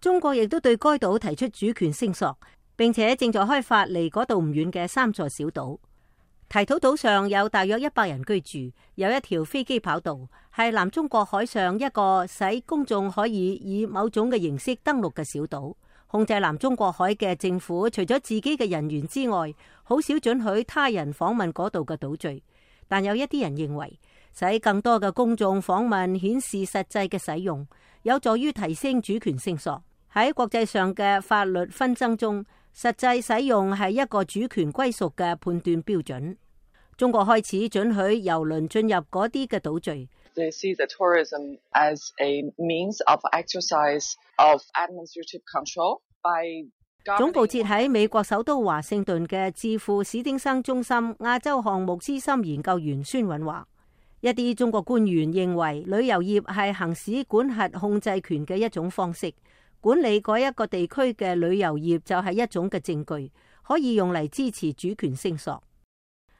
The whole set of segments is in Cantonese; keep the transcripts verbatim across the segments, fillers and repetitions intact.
中國亦都對該島提出主權聲索，並且正在開發離嗰度唔遠嘅三座小島。提土島上有大約一百人居住，有一條飛機跑道，係南中國海上一個使公眾可以以某種嘅形式登陸嘅小島。控制南中國海嘅政府，除咗自己嘅人員之外，好少准許他人訪問嗰度嘅島嶼。但有一啲人認為，使更多嘅公眾訪問顯示實際嘅使用，有助於提升主權聲索。喺國際上嘅法律紛爭中，實際使用係一個主權歸屬嘅判斷標準。中國開始准許郵輪進入嗰啲嘅島嶼。They see the tourism as a means of exercise of administrative control by 總部設喺美國首都華盛頓嘅智庫史丁生中心亞洲項目資深研究員孫允話，一啲中國官員認為旅遊業係行使管轄控制權嘅一種方式，管理嗰一個地區嘅旅遊業就係一種嘅證據，可以用嚟支持主權聲索。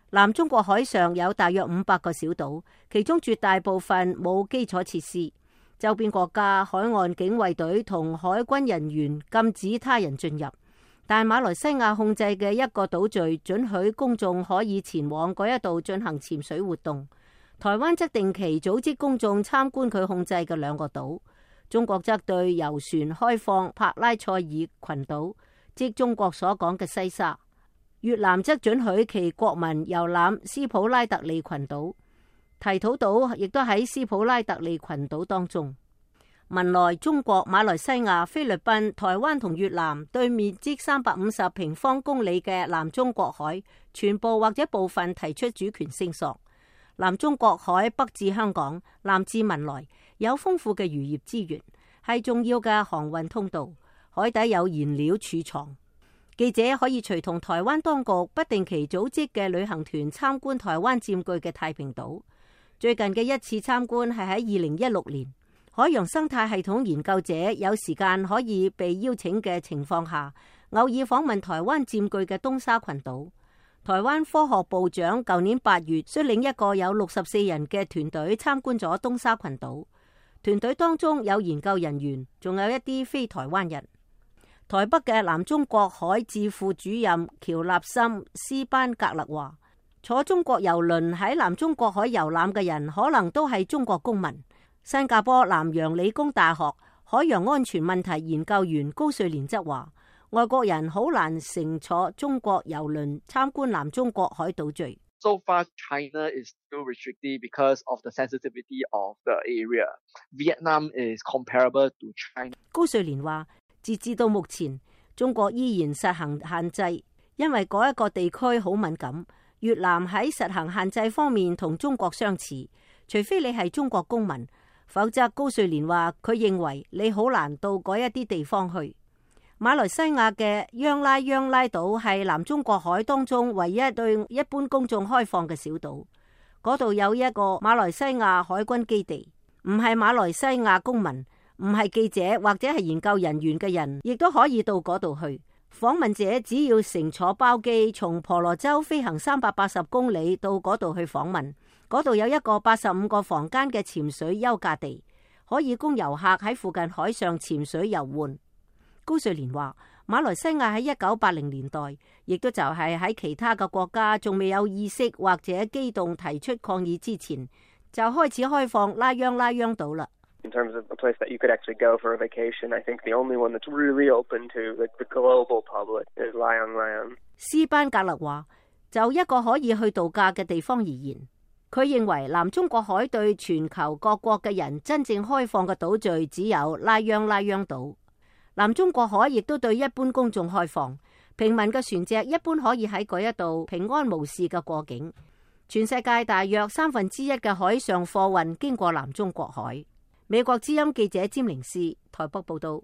南中國海上有大約五百個小島，其中絕大部分冇基礎設施。周邊國家海岸警衛隊同海軍人員禁止他人進入，但馬來西亞控制嘅一個島嶼准許公眾可以前往嗰一度進行潛水活動。台灣則定期組織公眾參觀佢控制嘅兩個島。中國則對遊船開放帕拉塞爾群島，即中國所講嘅西沙。越南則准許其國民遊覽斯普拉特利群島，提土島亦都喺斯普拉特利群島當中。文萊、中國、馬來西亞、菲律賓、台灣同越南對面積三百五十平方公里嘅南中國海，全部或者部分提出主權聲索。南中國海北至香港，南至文萊，有豐富嘅漁業資源，係重要嘅航運通道，海底有燃料儲藏。記者可以隨同台灣當局不定期組織嘅旅行團參觀台灣佔據嘅太平島。最近嘅一次參觀係喺二零一六年，海洋生態系統研究者有時間可以被邀請嘅情況下，偶爾訪問台灣佔據嘅東沙群島。台灣科學部長舊年八月率領一個有六十四人嘅團隊參觀咗東沙群島，團隊當中有研究人員，仲有一啲非台灣人。台北嘅南中國海智庫主任喬納森斯班格勒話，坐中國郵輪喺南中國海遊覽嘅人可能都係中國公民。新加坡南洋理工大學海洋安全問題研究員高瑞蓮則話，外國人好難乘坐中國郵輪參觀南中國海島嶼。So far, China is still restricted because of the sensitivity of the area. Vietnam is comparable to China. 高瑞蓮話，截至到目前，中國依然實行限制，因為嗰一個地區好敏感。越南喺實行限制方面同中國相似，除非你係中國公民，否則高瑞蓮話佢認為你好難到嗰一啲地方去。馬來西亞嘅央拉央拉島係南中國海當中唯一對一般公眾開放嘅小島，嗰度有一個馬來西亞海軍基地，唔係馬來西亞公民，唔係記者或者係研究人員嘅人，亦都可以到嗰度去。訪問者只要乘坐包機從婆羅洲飛行三百八十公里到嗰度去訪問。嗰度有一個八十五個房間嘅潛水休假地，可以供遊客喺附近海上潛水遊玩。高瑞蓮話，馬來西亞喺一九八零年代，亦都就係喺其他嘅國家仲未有意識或者機動提出抗議之前，就開始開放拉央拉央島啦。In terms of a place that you could actually go for a vacation, I think the only one that's really open to the, the global public is Layang Layang. 斯班格勒話，就一個可以去度假嘅地方而言，佢認為南中國海對全球各國嘅人真正開放嘅島嶼只有拉央拉央島。南中國海亦都對一般公眾開放，平民嘅船隻一般可以喺嗰一度平安無事嘅過境。全世界大約三分之一嘅海上貨運經過南中國海。美國之音記者詹寧斯台北報道。